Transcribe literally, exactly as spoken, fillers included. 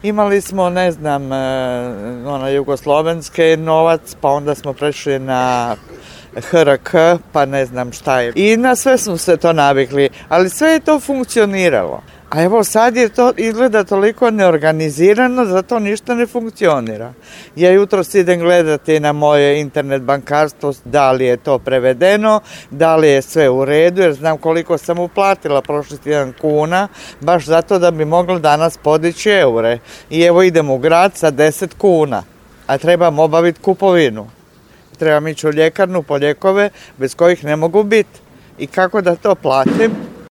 Imali smo, ne znam, ona jugoslovenske novac, pa onda smo prešli na H R K, pa ne znam šta je. I na sve smo se to navikli, ali sve je to funkcioniralo. A evo sad je to izgleda toliko neorganizirano, zato ništa ne funkcionira. Ja jutros idem gledati na moje internet bankarstvo da li je to prevedeno, da li je sve u redu, jer znam koliko sam uplatila prošli tjedan kuna, baš zato da bi mogla danas podići eure. I evo idem u grad sa deset kuna, a trebam obaviti kupovinu. Trebam ići u ljekarnu po lijekove bez kojih ne mogu biti. I kako da to platim?